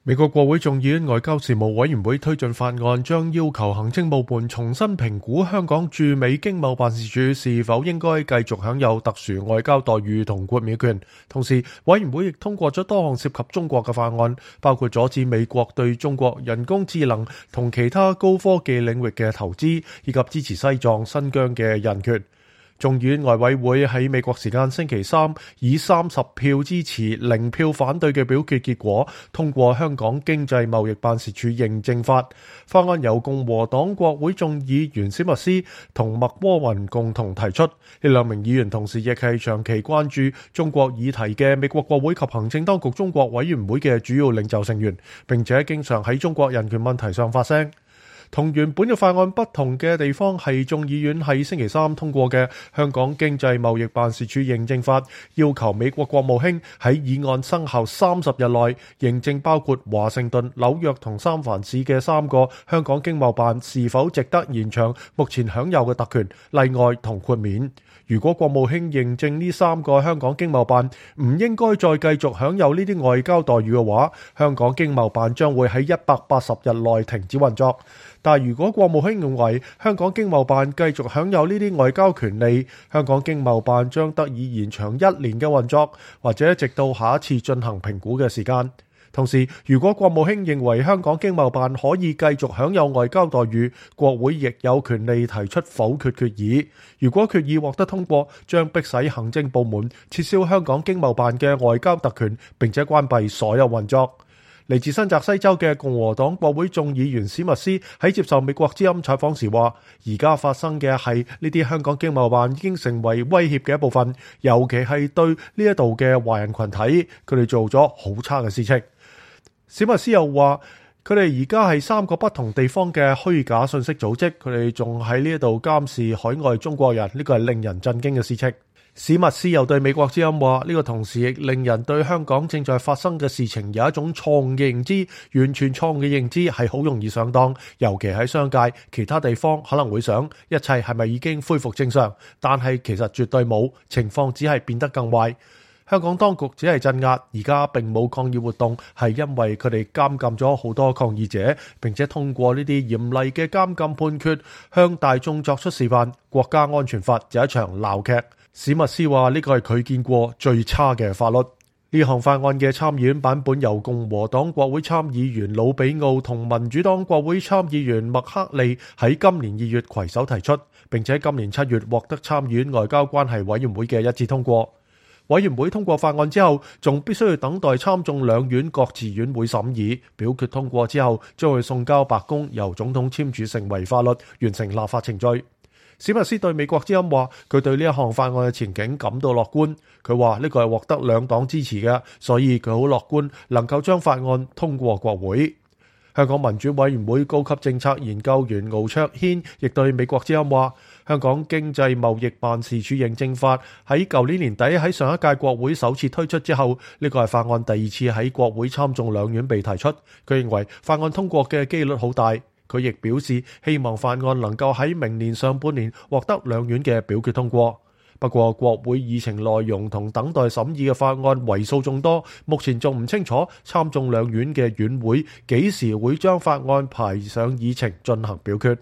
美國國會眾議院外交事務委員會推進法案，將要求行政部門重新評估香港駐美經貿辦事處是否應該繼續享有特殊外交待遇同豁免權。同時，委員會亦通過咗多項涉及中國嘅法案，包括阻止美國對中國人工智能同其他高科技領域嘅投資，以及支持西藏、新疆嘅人權。眾議院外委會喺美國時間星期三以30票支持、0票反對嘅表決結果，通過香港經濟貿易辦事處認證法。法案由共和黨國會眾議員史密斯同麥柯雲共同提出。呢兩名議員同時亦係長期關注中國議題嘅美國國會及行政當局中國委員會嘅主要領袖成員，並且經常喺中國人權問題上發聲。同原本嘅法案不同嘅地方係，眾議院喺星期三通過嘅香港經濟貿易辦事處認證法，要求美國國務卿喺議案生效30日內認證包括華盛頓、紐約同三藩市嘅3個香港經貿辦是否值得延長目前享有嘅特權、例外同豁免。如果國務卿認證呢3個香港經貿辦唔應該再繼續享有呢啲外交待遇嘅話，香港經貿辦將會喺180日內停止運作。但如果國務卿認為香港經貿辦繼續享有呢啲外交權利，香港經貿辦將得以延長1年嘅運作，或者直到下一次進行評估嘅時間。同時，如果國務卿認為香港經貿辦可以繼續享有外交待遇，國會亦有權利提出否決決議。如果決議獲得通過，將迫使行政部門撤銷香港經貿辦嘅外交特權，並且關閉所有運作。嚟自新澤西州嘅共和黨國會眾議員史密斯喺接受美國之音採訪時話，而家發生嘅係呢啲香港經貿辦已經成為威脅嘅一部分，尤其係對呢一度嘅華人群體，佢哋做咗好差嘅事情。史密斯又話，佢哋而家係3個不同地方嘅虛假信息組織，佢哋仲喺呢一度監視海外中國人，呢個係令人震驚嘅事情。史密斯又對美國之音話，呢個同時亦令人對香港正在發生嘅事情有一種錯誤嘅認知，完全錯誤嘅認知係好容易上當，尤其喺商界，其他地方可能會想一切係咪已經恢復正常，但係其實絕對冇，情況只係變得更壞。香港當局只係鎮壓，而家並冇抗議活動，係因為佢哋監禁咗好多抗議者，並且通過呢啲嚴厲嘅監禁判決向大眾作出示範。國家安全法就一場鬧劇。史密斯話呢個係佢見過最差嘅法律。呢項法案嘅參議院版本由共和黨國會參議員魯比奧同民主黨國會參議員麥克利喺今年2月攜手提出，並且今年7月獲得參議院外交關係委員會嘅一致通過。委員會通過法案之後，仲必須要等待參眾兩院各自院會審議，表決通過之後，將會送交白宮，由總統簽署成為法律，完成立法程序。史密斯對美國之音話，佢對呢一項法案嘅前景感到樂觀。佢話呢個係獲得兩黨支持嘅，所以佢好樂觀能夠將法案通過國會。香港民主委員會高級政策研究員敖卓軒亦對美國之音話，香港經濟貿易辦事處認證法喺舊年年底喺上一屆國會首次推出之後，呢個係法案第2次喺國會參眾兩院被提出。佢認為法案通過嘅機率好大。佢亦表示希望法案能夠喺明年上半年獲得兩院嘅表決通過。不過國會議程內容同等待審議嘅法案為數眾多，目前仲唔清楚參眾兩院嘅院會幾時會將法案排上議程進行表決。